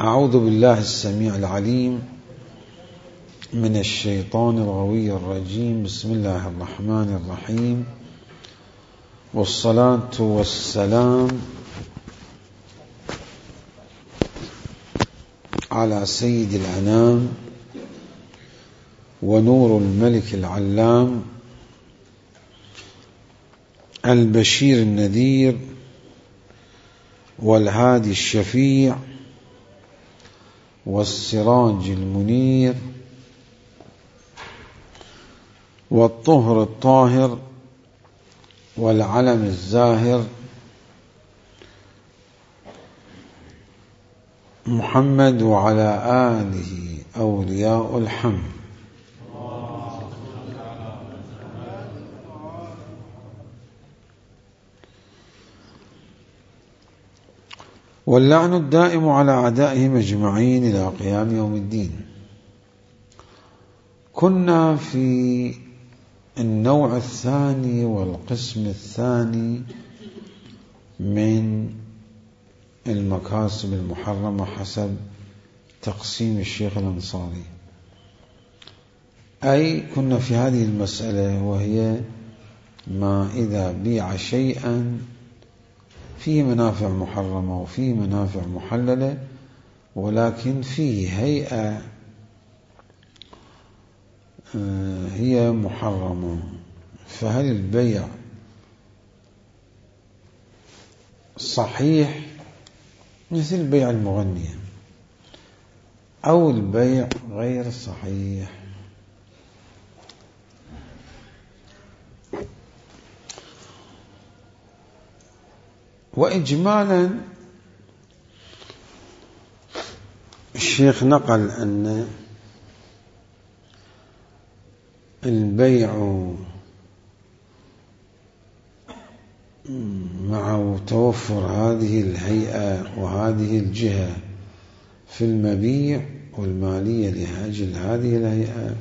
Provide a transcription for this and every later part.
أعوذ بالله السميع العليم من الشيطان الغوي الرجيم. بسم الله الرحمن الرحيم، والصلاة والسلام على سيد الأنام ونور الملك العلام البشير النذير والهادي الشفيع والسراج المنير والطهر الطاهر والعلم الزاهر محمد وعلى آله أولياء الحمد. واللعن الدائم على أعدائهم أجمعين إلى قيام يوم الدين. كنا في النوع الثاني والقسم الثاني من المكاسب المحرمة حسب تقسيم الشيخ الأنصاري، أي كنا في هذه المسألة، وهي ما إذا بيع شيئا فيه منافع محرمة وفيه منافع محللة، ولكن فيه هيئة هي محرمة، فهل البيع صحيح مثل بيع المغنية أو البيع غير صحيح؟ وإجمالا الشيخ نقل أن البيع مع توفر هذه الهيئة وهذه الجهة في المبيع والمالية لأجل هذه الهيئة،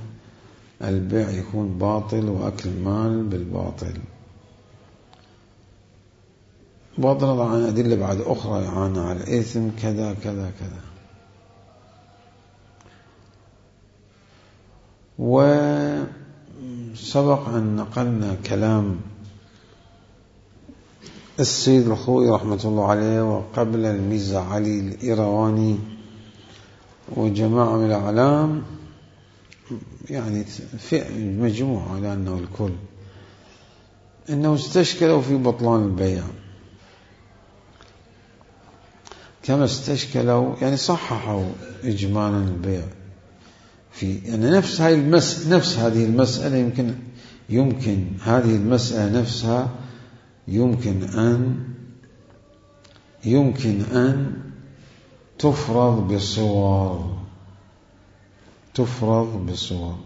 البيع يكون باطل وأكل المال بالباطل، بغض النظر عن أدلة بعد أخرى يعني على الإثم كذا كذا كذا. وسبق أن نقلنا كلام السيد الخوئي رحمة الله عليه، وقبل الميزة علي الإيرواني وجماعة من الأعلام، يعني في مجموعة لأنه الكل، إنه استشكلوا في بطلان البيع كما استشكلوا، يعني صححوا إجمالا البيع في يعني نفس هذه المسألة يمكن هذه المسألة نفسها يمكن أن تفرض بصور.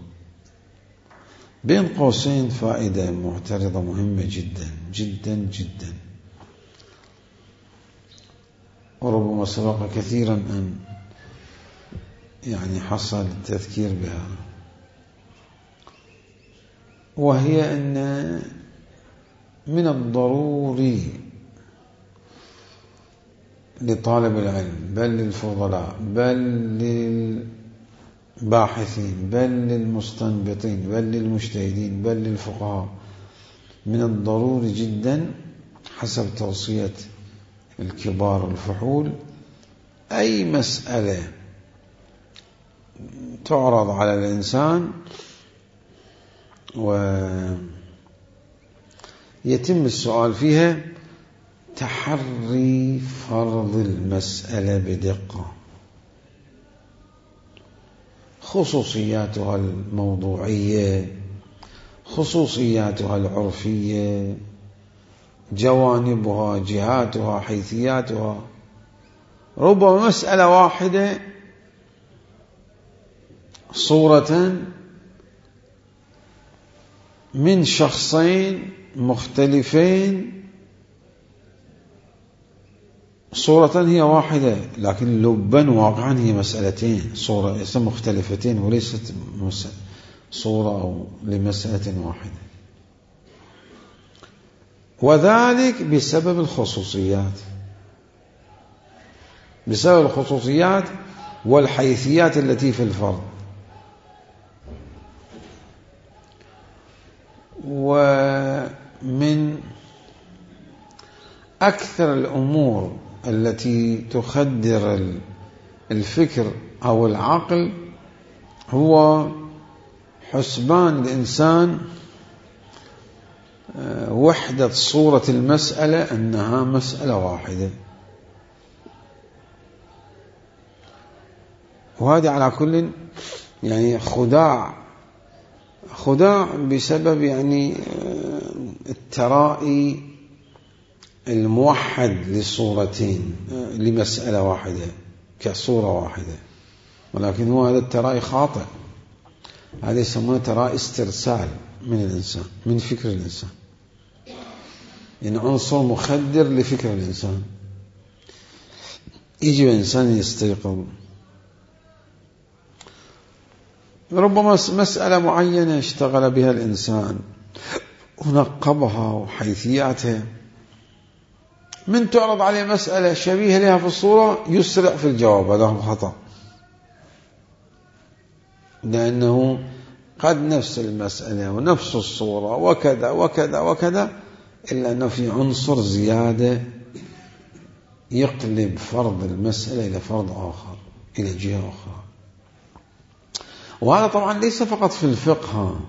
بين قوسين فائدة معترضة مهمة جدا جدا جدا، وربما سبق كثيرا أن يعني حصل التذكير بها، وهي أن من الضروري لطالب العلم، بل للفضلاء، بل للباحثين، بل للمستنبطين، بل للمجتهدين، بل للفقهاء، من الضروري جدا حسب توصية الكبار الفحول، أي مسألة تعرض على الإنسان ويتم السؤال فيها، تحري فرض المسألة بدقة، خصوصياتها الموضوعية، خصوصياتها العرفية، جوانبها، جهاتها، حيثياتها. ربما مسألة واحدة صورة من شخصين مختلفين، صورة هي واحدة لكن لبا واقعا هي مسألتين، صورة مختلفتين وليست صورة لمسألة واحدة، وذلك بسبب الخصوصيات. بسبب الخصوصيات والحيثيات التي في الفرد. ومن أكثر الأمور التي تخدر الفكر أو العقل هو حسبان الإنسان وحدة صورة المسألة أنها مسألة واحدة. وهذا على كل يعني خداع بسبب يعني الترائي الموحد للصورتين لمسألة واحدة كصورة واحدة، ولكن هو هذا الترائي خاطئ. هذا يسمونه ترائي استرسال من الإنسان، من فكر الإنسان، يعني عنصر مخدر لفكر الإنسان. يجب الإنسان يستيقظ، ربما مسألة معينة اشتغل بها الإنسان ونقبها وحيثياتها، من تعرض عليه مسألة شبيهة لها في الصورة يسرع في الجواب. هذا هو خطأ، لأنه قد نفس المسألة ونفس الصورة وكذا وكذا وكذا، إلا أنه في عنصر زيادة يقلب فرض المسألة إلى فرض آخر، إلى جهة أخرى. وهذا طبعا ليس فقط في الفقه،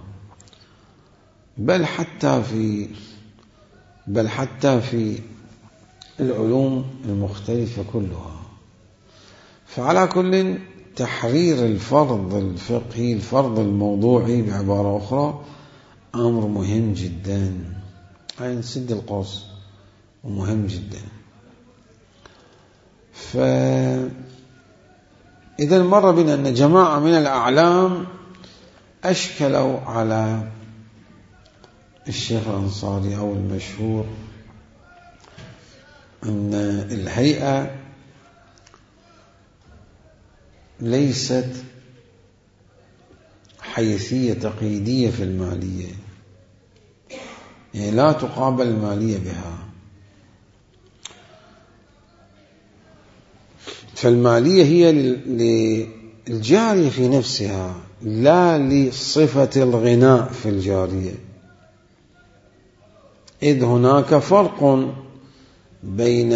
بل حتى في العلوم المختلفة كلها. فعلى كل تحرير الفرض الفقهي، الفرض الموضوعي بعبارة أخرى، أمر مهم جدا، أي نسد القوس، ومهم جدا. إذا مر بنا أن جماعة من الأعلام أشكلوا على الشيخ الأنصاري أو المشهور أن الهيئة ليست حيثية تقييدية في المالية، يعني لا تقابل المالية بها. فالمالية هي للجارية في نفسها، لا لصفة الغناء في الجارية، إذ هناك فرق بين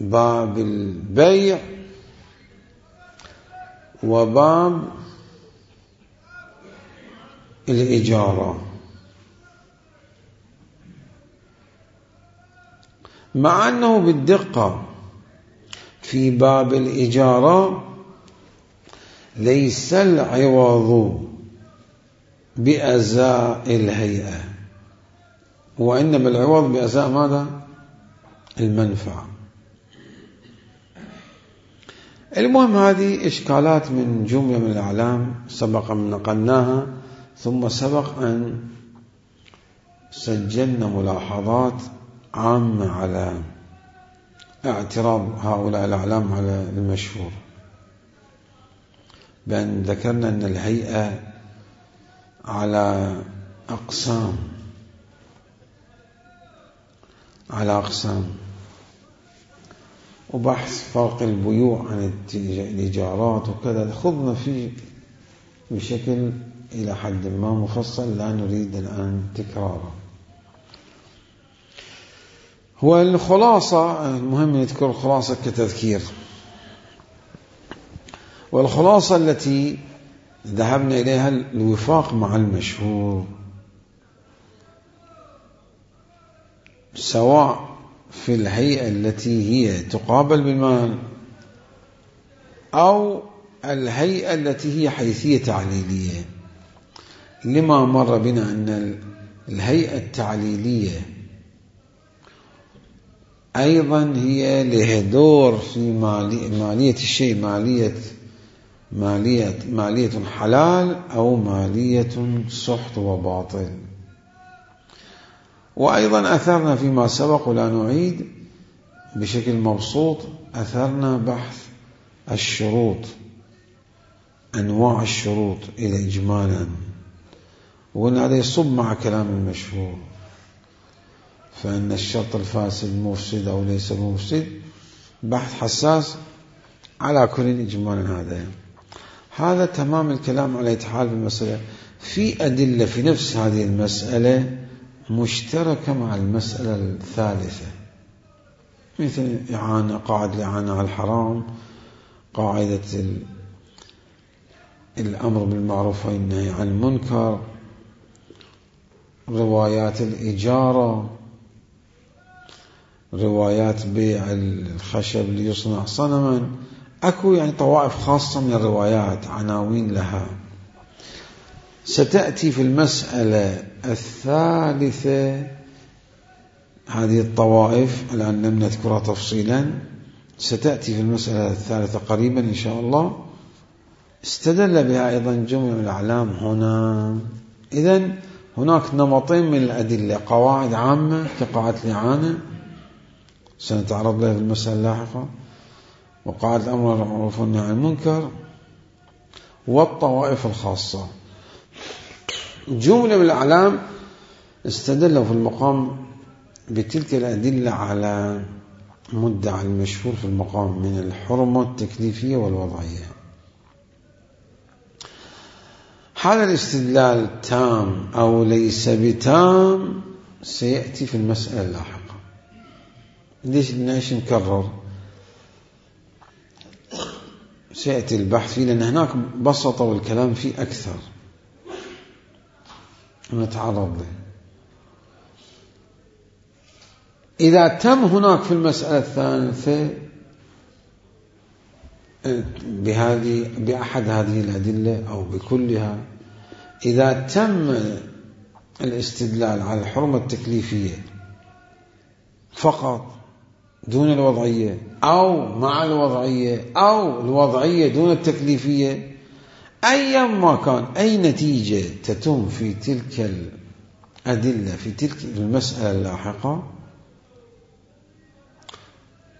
باب البيع وباب الإجارة. مع أنه بالدقة في باب الإجارة ليس العوض بأزاء الهيئة، وإنما العوض بأزاء ماذا؟ المنفعة. المهم هذه إشكالات من جملة من الأعلام سبق أن نقلناها، ثم سبق أن سجلنا ملاحظات عامة على اعتراض هؤلاء الأعلام على المشهور، بأن ذكرنا أن الهيئة على أقسام، وبحث فرق البيوع عن الإيجارات وكذا، خضنا فيه بشكل إلى حد ما مفصل، لا نريد الآن تكراره. هو الخلاصة، المهم نذكر الخلاصة كتذكير، والخلاصة التي ذهبنا إليها الوفاق مع المشهور، سواء في الهيئة التي هي تقابل بالمال أو الهيئة التي هي حيثية تعليلية. لما مر بنا أن الهيئة التعليلية أيضا هي له دور في مالية الشيء، مالية حلال أو مالية سحت وباطل. وأيضا أثرنا فيما سبق ولا نعيد بشكل مبسوط، أثرنا بحث الشروط، أنواع الشروط إلى إجمالا، وقلنا هذا يصب مع كلام المشهور، فإن الشرط الفاسد مفسد أو ليس مفسد، بحث حساس على كل إجمالا. هذا تمام الكلام على إتحال بالمسألة. في أدلة في نفس هذه المسألة مشتركة مع المسألة الثالثة، مثل إعانة، قاعدة الإعانة على الحرام، قاعدة الأمر بالمعروف والنهي عن المنكر، روايات الإجارة، روايات بيع الخشب ليصنع صنما. أكو يعني طوائف خاصة من الروايات، عناوين لها. ستأتي في المسألة الثالثة هذه الطوائف، الآن لم نذكرها تفصيلا، ستأتي في المسألة الثالثة قريبا إن شاء الله. استدل بها أيضا جملة من الأعلام هنا. إذن هناك نمطين من الأدلة: قواعد عامة كقاعدة الإعانة سنتعرض لها في المسألة اللاحقة، وقاعدة الأمر بالمعروف والنهي عن المنكر، والطوائف الخاصة. جملة من الأعلام استدلوا في المقام بتلك الأدلة على مدعى المشهور في المقام من الحرمة التكليفية والوضعية. هذا الاستدلال تام أو ليس بتام سيأتي في المسألة اللاحقة. ليش نكرر؟ سيأتي البحث فيه، لأن هناك بسطة والكلام فيه أكثر نتعرض له. إذا تم هناك في المسألة الثالثة بأحد هذه الأدلة أو بكلها، إذا تم الاستدلال على الحرمة التكليفية فقط دون الوضعية، أو مع الوضعية، أو الوضعية دون التكليفية، أيا ما كان أي نتيجة تتم في تلك الأدلة في تلك المسألة اللاحقة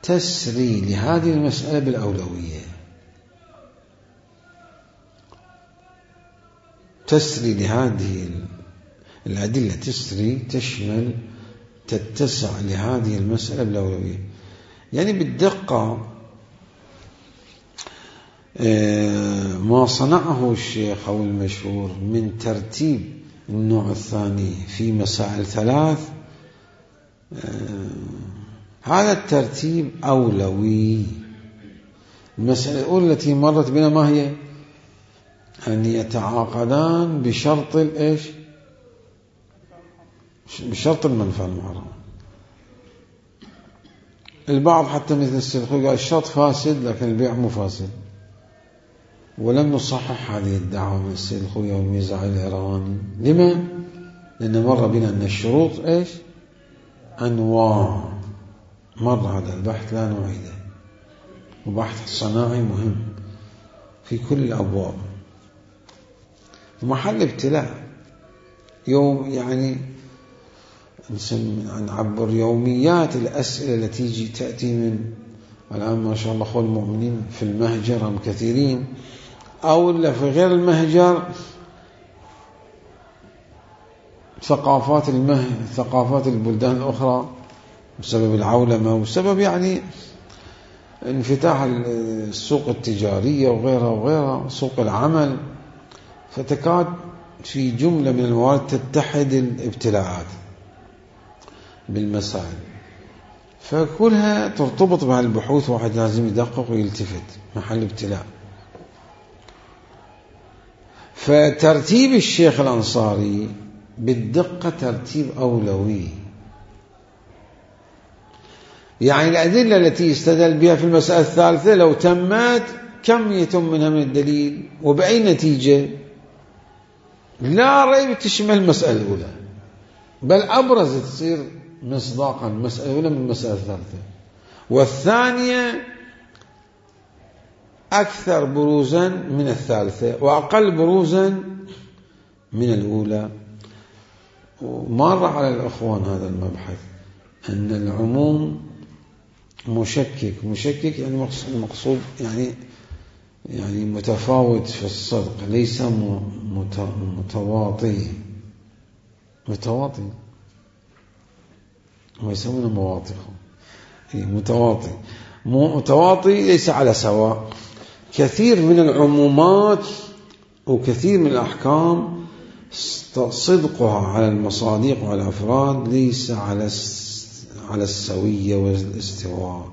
تسري لهذه المسألة بالأولوية، تسري لهذه الأدلة، تسري تشمل تتسع لهذه المسألة بالأولوية. يعني بالدقة ما صنعه الشيخ أو المشهور من ترتيب النوع الثاني في مسائل ثلاث، هذا الترتيب أولوي. المسألة الأولى التي مرت بنا ما هي؟ أن يتعاقدان بشرط الإيش؟ بشرط المنفعة المحرمة. البعض حتى مثل السلخوي قال الشرط فاسد لكن البيع مو فاسد، ولم نصحح هذه الدعوة من السلخوي والميزعي العراواني. لما؟ لأن مر بنا أن الشروط إيش؟ أنواع. مر هذا البحث لا نعيده، وبحث صناعي مهم في كل الأبواب، ومحل ابتلاء يوم، يعني نعبر يوميات الأسئلة التي تأتي من الآن ما شاء الله أخوة المؤمنين في المهجر هم كثيرين، أو إلا في غير المهجر ثقافات البلدان الأخرى بسبب العولمة وبسبب يعني انفتاح السوق التجارية وغيرها سوق العمل، فتكاد في جملة من الموارد تتحد الابتلاعات بالمسائل، فكلها ترتبط مع البحوث، واحد لازم يدقق ويلتفت محل ابتلاء. فترتيب الشيخ الأنصاري بالدقة ترتيب أولوي، يعني الأدلة التي استدل بها في المسألة الثالثة لو تمت كم يتم منها من الدليل وبأي نتيجة؟ لا ريب تشمل المسألة الأولى، بل أبرز تصير مصداقا المسألة الأولى من المسألة الثالثة، والثانية أكثر بروزا من الثالثة وأقل بروزا من الأولى. ومر على الأخوان هذا المبحث أن العموم مشكك يعني المقصود يعني متفاوت في الصدق، ليس متواطي ويسمونه مواطخ، متواطي متواطي ليس على سواء. كثير من العمومات وكثير من الأحكام صدقها على المصادق وعلى الأفراد ليس على السوية والاستواء،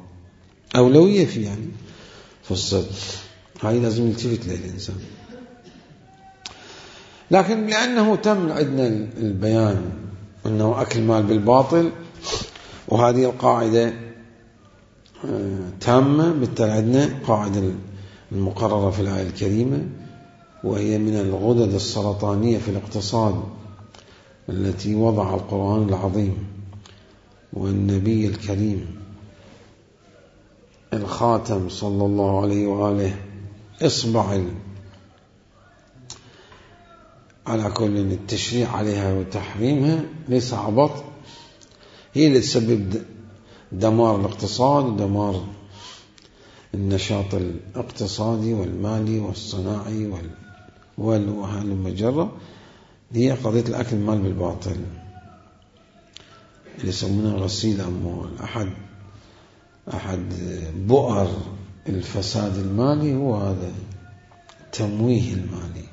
أولوية في يعني في الصدق، هاي لازم يلتفت له الإنسان. لكن لأنه تم عندنا البيان أنه أكل مال بالباطل، وهذه القاعدة تامة، بالتالي عندنا قاعدة المقررة في الآية الكريمة، وهي من الغدد السرطانية في الاقتصاد التي وضع القرآن العظيم والنبي الكريم الخاتم صلى الله عليه وآله إصبع على كل التشريع عليها وتحريمها ليس عبط، هي اللي تسبب دمار الاقتصاد ودمار النشاط الاقتصادي والمالي والصناعي والمجرة. هي قضية الأكل المال بالباطل اللي يسمونها غسيل أموال. أحد بؤر الفساد المالي هو هذا التمويه المالي.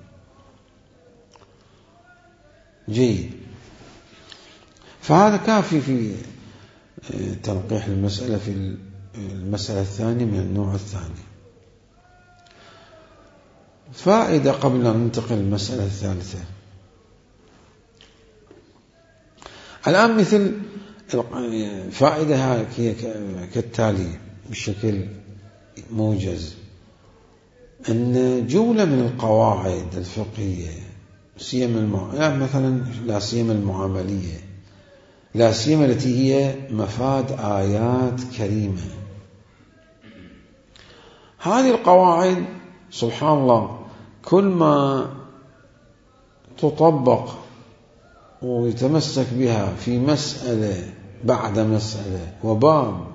جيد، فهذا كافي في تنقيح المسألة في المسألة الثانية من النوع الثاني. فائدة قبل أن ننتقل للمسألة الثالثة. الآن مثل فائدة هي كالتالي بشكل موجز، أن جملة من القواعد الفقهية يعني مثلا لا سيما المعاملية، لا سيما التي هي مفاد آيات كريمة، هذه القواعد سبحان الله كل ما تطبق ويتمسك بها في مسألة بعد مسألة وباب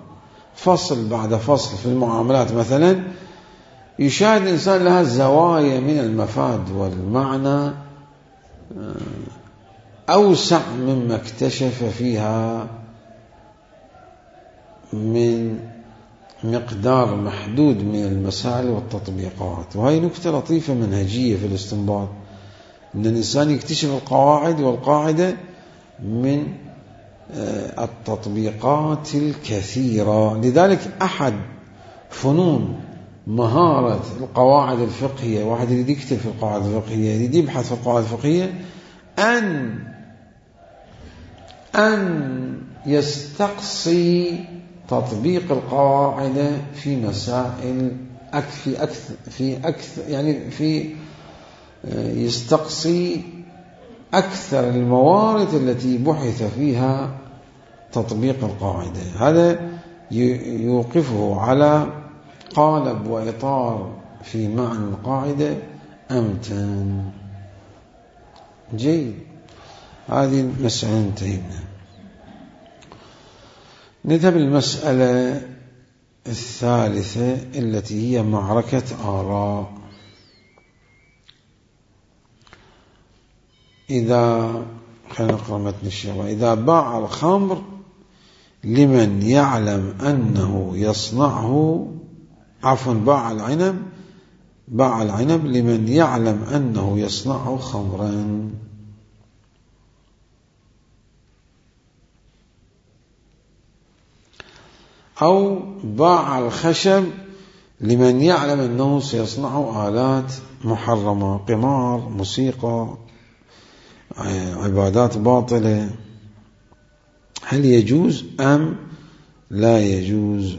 فصل بعد فصل في المعاملات مثلا، يشاهد الإنسان لها زوايا من المفاد والمعنى أوسع مما اكتشف فيها من مقدار محدود من المسائل والتطبيقات. وهي نكتة لطيفة منهجية في الاستنباط، أن الإنسان يكتشف القواعد والقاعدة من التطبيقات الكثيرة. لذلك أحد فنون مهارة القواعد الفقهية، واحد يريد يكتب في القواعد الفقهية، يريد يبحث في القواعد الفقهية، أن يستقصي تطبيق القواعد في مسائل يستقصي أكثر الموارد التي بحث فيها تطبيق القاعدة. هذا يوقفه على قالب وإطار في معنى القاعدة أمتن. جيد، هذه المسألة انتهينا. نذهب للمسألة الثالثة التي هي معركة آراء. خلينا نقرأ متن الشيخ. إذا باع الخمر لمن يعلم أنه يصنعه، باع العنب لمن يعلم أنه يصنعه خمرا. أو باع الخشب لمن يعلم أنه سيصنع آلات محرمة، قمار، موسيقى، عبادات باطلة. هل يجوز أم لا يجوز؟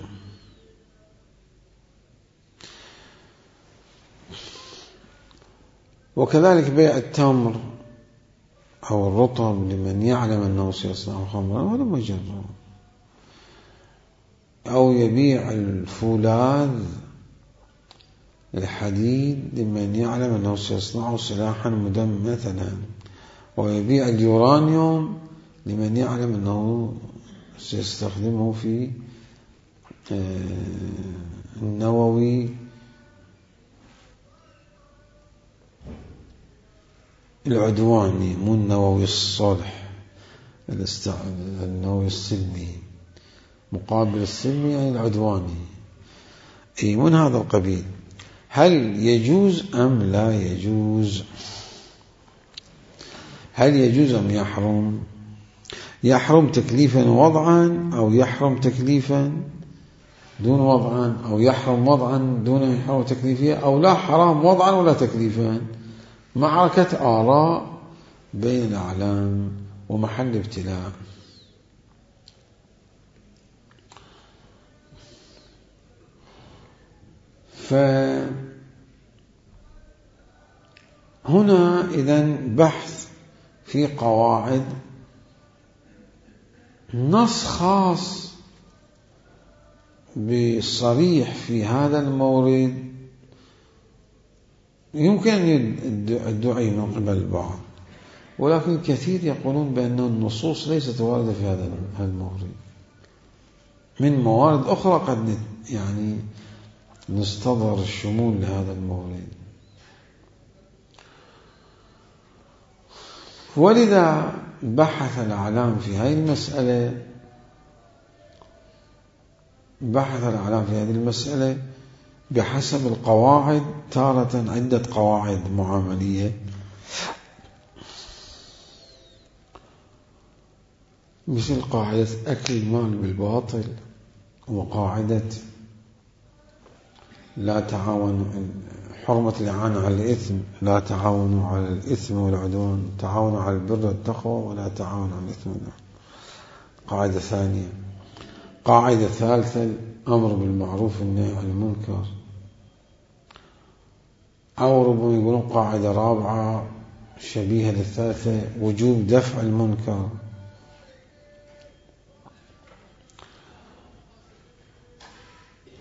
وكذلك بيع التمر أو الرطب لمن يعلم أنه سيصنع خمرا ولا مجرد، أو يبيع الفولاذ الحديد لمن يعلم أنه سيصنع سلاحا مدمرا مثلا، ويبيع اليورانيوم لمن يعلم أنه سيستخدمه في النووي العدواني، مو النووي الصلح، النووي السلمي، مقابل السلمي يعني العدواني. من هذا القبيل. هل يجوز أم لا يجوز؟ هل يجوز أم يحرم؟ يحرم تكليفا وضعا، أو يحرم تكليفا دون وضعا، أو يحرم وضعا دون يحرم تكليفيا، أو لا حرام وضعا ولا تكليفا. معركة آراء بين الأعلام ومحل ابتلاء. فهنا إذن بحث في قواعد، نص خاص بصريح في هذا المورد يمكن الدعي من قبل البعض، ولكن الكثير يقولون بأن النصوص ليست واردة في هذا المورد. من موارد أخرى قد نستظهر الشمول لهذا المورد. ولذا بحث الأعلام في هذه المسألة بحسب القواعد، تارة عدة قواعد معاملية، مثل قاعدة أكل المال بالباطل، وقاعدة لا تعاون، حرمة الإعانة على الإثم، لا تعاونوا على الإثم والعدوان، تعاونوا على البر والتقوى ولا تعاونوا على الإثم والعدوان. قاعدة ثانية. قاعدة ثالثة الأمر بالمعروف والنهي عن المنكر، أو ربما يقولون قاعدة رابعة شبيهة للثالثة، وجوب دفع المنكر.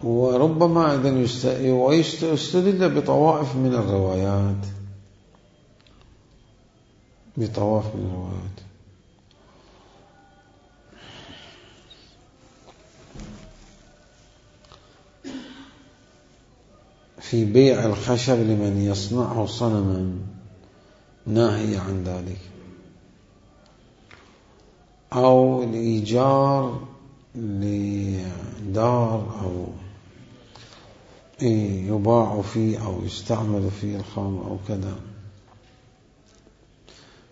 وربما إذن يستدل بطوائف من الروايات، في بيع الخشب لمن يصنعه صنما، ناهي عن ذلك، أو الإيجار لدار أو يباع فيه أو يستعمل فيه الخمر أو كذا.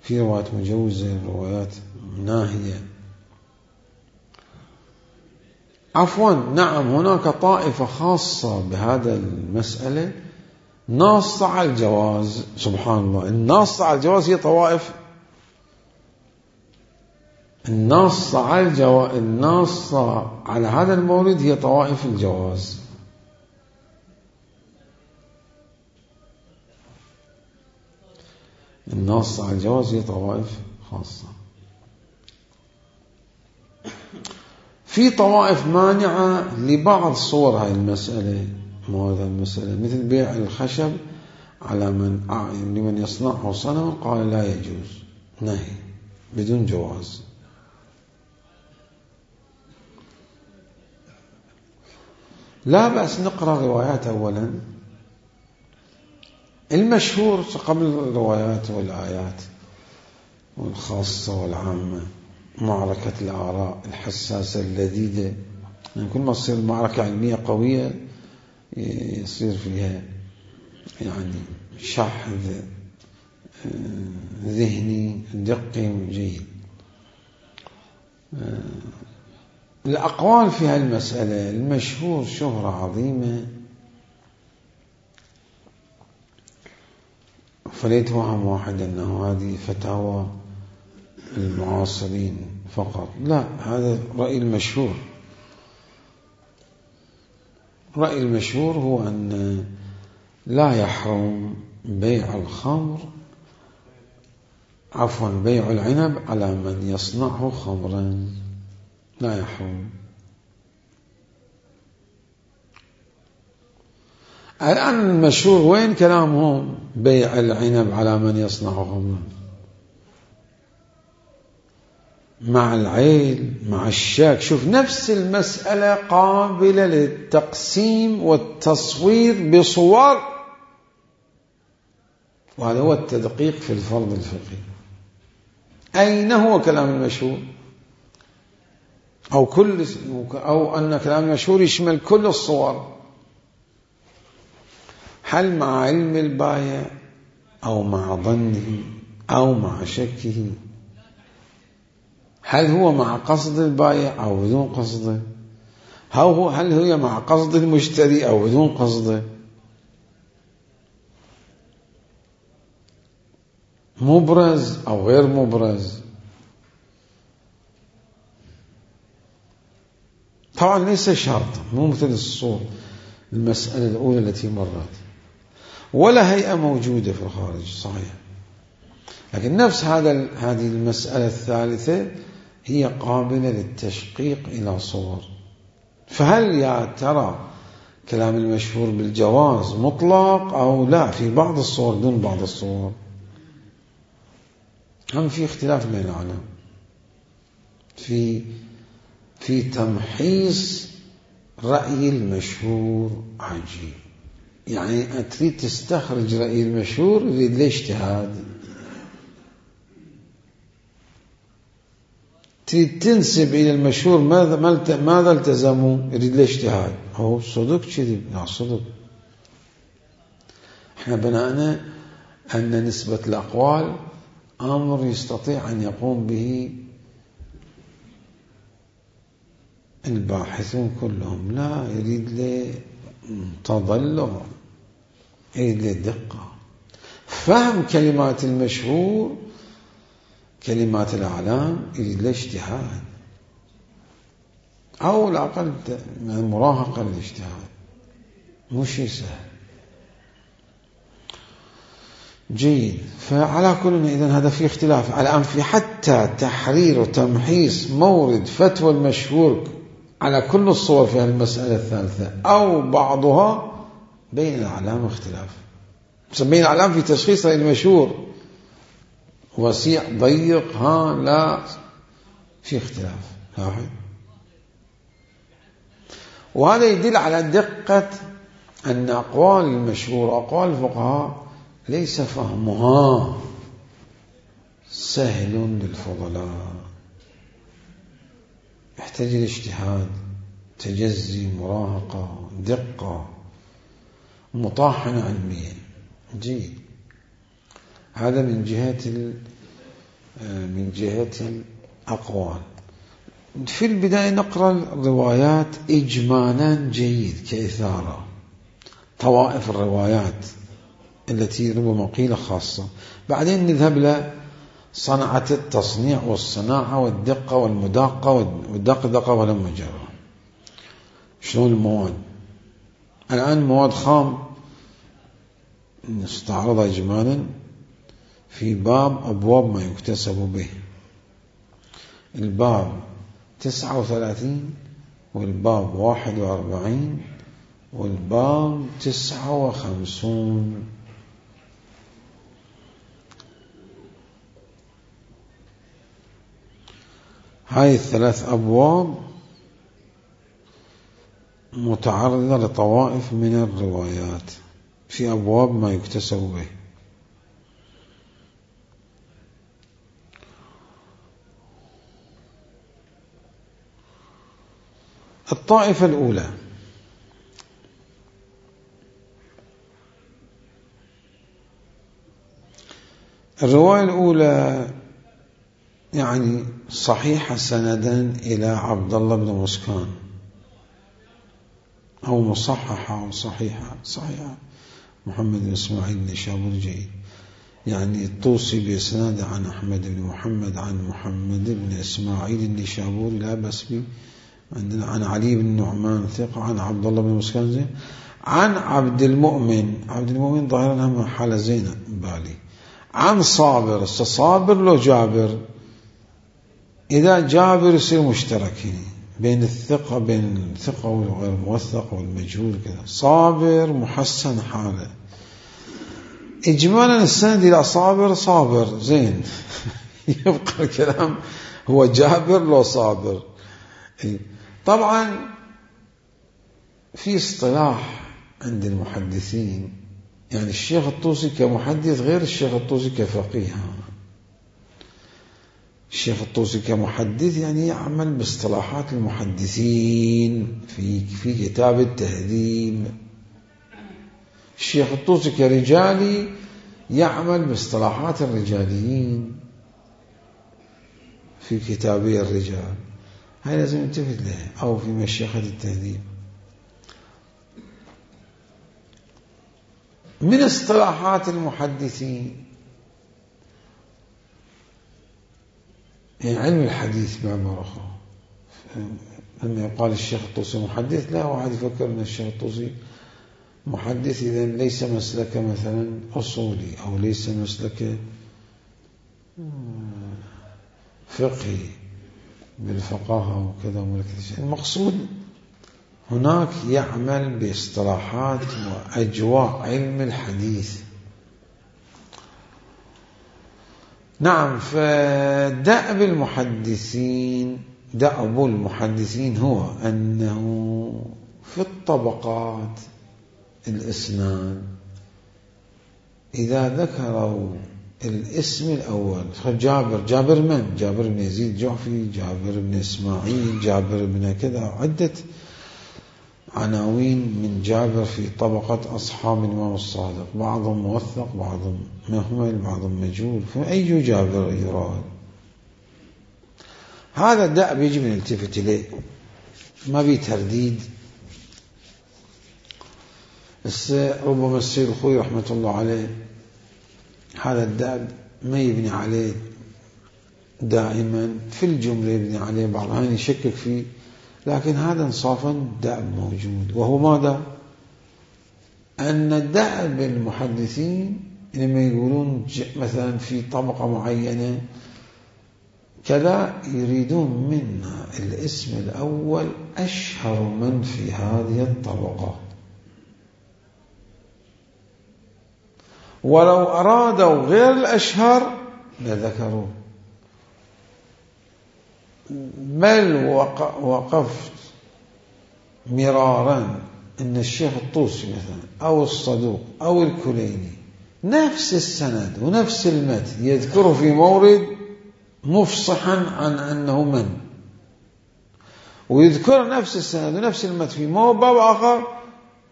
في روايات مجوزة، روايات ناهية. نعم، هناك طائفة خاصة بهذا المسألة ناصة على الجواز. سبحان الله، الناصة على الجواز هي طوائف، الناصة على هذا المورد هي طوائف الجواز. الناصة على الجواز هي طوائف خاصة. في طوائف مانعة لبعض صور هذه المسألة، مثل بيع الخشب على لمن يصنعه صنما، قال لا يجوز، نهي بدون جواز. لا بأس نقرأ روايات أولا، المشهور قبل الروايات والآيات والخاصة والعامة. معركة الآراء الحساسة اللذيذة، كل ما تصير معركة علمية قوية يصير فيها شحذ ذهني دقي جيد. الأقوال في هالمسألة المشهور شهرة عظيمة، فليتوهم واحد أنه هذه فتاوى المعاصرين فقط، لا، هذا رأي المشهور. رأي المشهور هو أن لا يحرم بيع الخمر، بيع العنب على من يصنعه خمرا، لا يحرم. الآن المشهور وين كلامهم؟ بيع العنب على من يصنعه خمرا، مع العيل، مع الشاك. شوف، نفس المسألة قابلة للتقسيم والتصوير بصور، وهذا هو التدقيق في الفرض الفقهي. أين هو كلام المشهور؟ أو أن كلام المشهور يشمل كل الصور. هل مع علم البائع أو مع ظنه أو مع شكه؟ هل هو مع قصد البائع أو بدون قصده؟ هل هي مع قصد المشتري أو بدون قصده؟ مبرز أو غير مبرز؟ طبعا ليس شرطا، مو مثل الصور المسألة الأولى التي مرت، ولا هيئة موجودة في الخارج صحيح، لكن نفس هذه المسألة الثالثة هي قابلة للتشقيق إلى صور. فهل يا ترى كلام المشهور بالجواز مطلق أو لا في بعض الصور دون بعض الصور؟ هم في اختلاف بين العلماء في تمحيص رأي المشهور. عجيب، يعني تريد تستخرج رأي المشهور يريد له اجتهاد، تريد تنسب إلى المشهور ماذا التزموا يريد له اجتهاد. هو صدق كذب؟ لا صدق. احنا بناءنا أن نسبة الأقوال أمر يستطيع أن يقوم به الباحثون كلهم، لا يريد له تضلع، يريد له دقة، فهم كلمات المشهور كلمات الأعلام يريد له اجتهاد، أو الأقل مراهقة للاجتهاد، مو شيء سهل. جيد. فعلى كل إذن هذا في اختلاف الآن في حتى تحرير وتمحيص مورد فتوى المشهور على كل الصور في المسألة الثالثة أو بعضها بين الأعلام اختلاف. بين الأعلام في تشخيص المشهور وسيع ضيق لا في اختلاف واحد. وهذا يدل على دقة أن أقوال المشهور أقوال الفقهاء ليس فهمها سهل للفضلاء، يحتاج الاجتهاد، تجزي، مراهقة، دقة، مطاحنة علمية. جيد. هذا من جهة الأقوال. في البداية نقرأ الروايات إجمالا جيد كإثارة، طوائف الروايات التي ربما قيل خاصة، بعدين نذهب لصنعة التصنيع والصناعة والدقة والمداقة والدقة والمجرة. شلون المواد؟ الآن مواد خام نستعرض إجمالا في باب أبواب ما يكتسب به، الباب 39 والباب 41 والباب 59. هاي الثلاث أبواب متعرضة لطوائف من الروايات في أبواب ما يكتسب به. الطائفة الأولى الرواية الأولى يعني صحيحة سندا إلى عبد الله بن مسكان، أو مصححة أو صحيحة محمد بن إسماعيل النشابوري. جيد. يعني الطوسي بإسناد عن أحمد بن محمد عن محمد بن إسماعيل النشابوري لا بأس به، عندنا عن علي بن نعمان ثقة، عن عبد الله بن مسكان زين، عن عبد المؤمن ظاهرا هم حالة زينة بالي، عن صابر لو جابر، إذا جابر يصير مشتركين بين الثقة والغير موثق والمجهول كذا، صابر محسن حاله. إجمالا السند إلى صابر زين يبقى الكلام هو جابر لو صابر. طبعا في اصطلاح عند المحدثين، يعني الشيخ الطوسي كمحدث غير الشيخ الطوسي كفقيه. الشيخ الطوسي كمحدث يعني يعمل باصطلاحات المحدثين في كتاب التهذيب، الشيخ الطوسي كرجالي يعمل باصطلاحات الرجاليين في كتابي الرجال، هاي لازم ننتبه لها، أو في مشيخة التهذيب. من اصطلاحات المحدثين يعني علم الحديث بعبارة أخرى. لما يقال الشيخ الطوسي محدث، لا واحد يفكر أن الشيخ الطوسي محدث إذا ليس مسلك مثلا أصولي أو ليس مسلك فقهي بالفقاهة وكذا. المقصود هناك يعمل باصطلاحات وأجواء علم الحديث. نعم. فدأب المحدثين هو أنه في الطبقات الإسناد إذا ذكروا الاسم الأول، جابر من؟ جابر بن يزيد الجعفي، جابر بن إسماعيل، جابر بن كذا، عدة عناوين من جابر في طبقة أصحاب الإمام الصادق، بعضهم موثق، بعضهم مهمل، بعضهم مجهول، فأي جابر يراد؟ هذا الدأب يجب أن نلتفت إليه، ما بيه ترديد. ربما السيد الخوي رحمة الله عليه هذا الدأب ما يبني عليه دائما، في الجملة يبني عليه، بعض الأحيان يشكك فيه، لكن هذا انصافا دأب موجود. وهو ماذا؟ أن دأب المحدثين لما يقولون مثلا في طبقة معينة كذا، يريدون منا الاسم الأول أشهر من في هذه الطبقة، ولو أرادوا غير الأشهر لذكروا. بل وقفت مرارا أن الشيخ الطوسي مثلا أو الصدوق أو الكليني نفس السند ونفس المتن يذكره في مورد مفصحا عن أنه من، ويذكر نفس السند ونفس المتن في باب آخر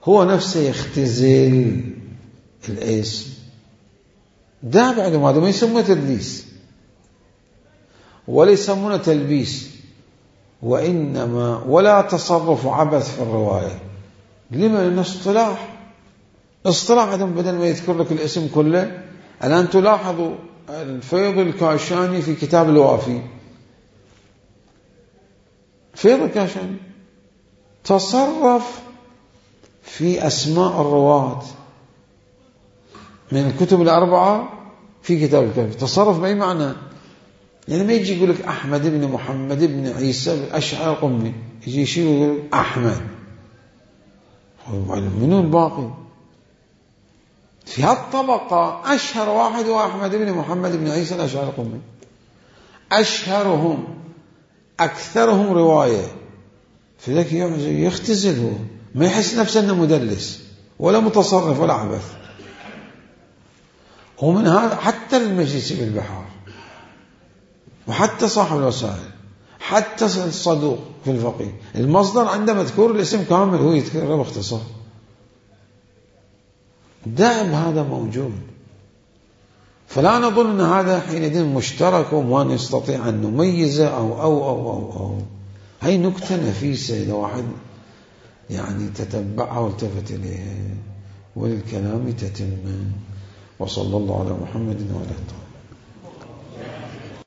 هو نفسه يختزل الاسم. ده بعد ما ما يسمونه تدليس ولا يسمونه تلبيس، وإنما ولا تصرف عبث في الرواية. لما؟ لأن اصطلاح عدم، بدل ما يذكر لك الاسم كله. الآن تلاحظوا الفيض الكاشاني في كتاب الوافي، فيض الكاشاني تصرف في أسماء الرواة من الكتب الأربعة في كتاب الكافي. تصرف بأي معنى؟ يعني ما يجي يقول لك أحمد بن محمد بن عيسى الأشعري القمي، يجي يشيل ويقول أحمد، منو الباقي؟ في هالطبقة أشهر واحد هو أحمد بن محمد بن عيسى الأشعري القمي، أشهرهم أكثرهم رواية، فذلك يختزل، هو ما يحس نفسه أنه مدلس ولا متصرف ولا عبث. ومن هذا حتى المجلس بالبحار، وحتى صاحب الوسائل، حتى الصدوق في الفقيه، المصدر عنده مذكور الاسم كامل، هو يذكره باختصار. دائم هذا موجود، فلا نظن أن هذا حينئذ مشترك وما نستطيع أن نميزه أو هاي نكتة نفيسة إذا واحد يعني تتبعها والتفت إليها، وللكلام تتم. وصلى الله على محمد وعلى آله.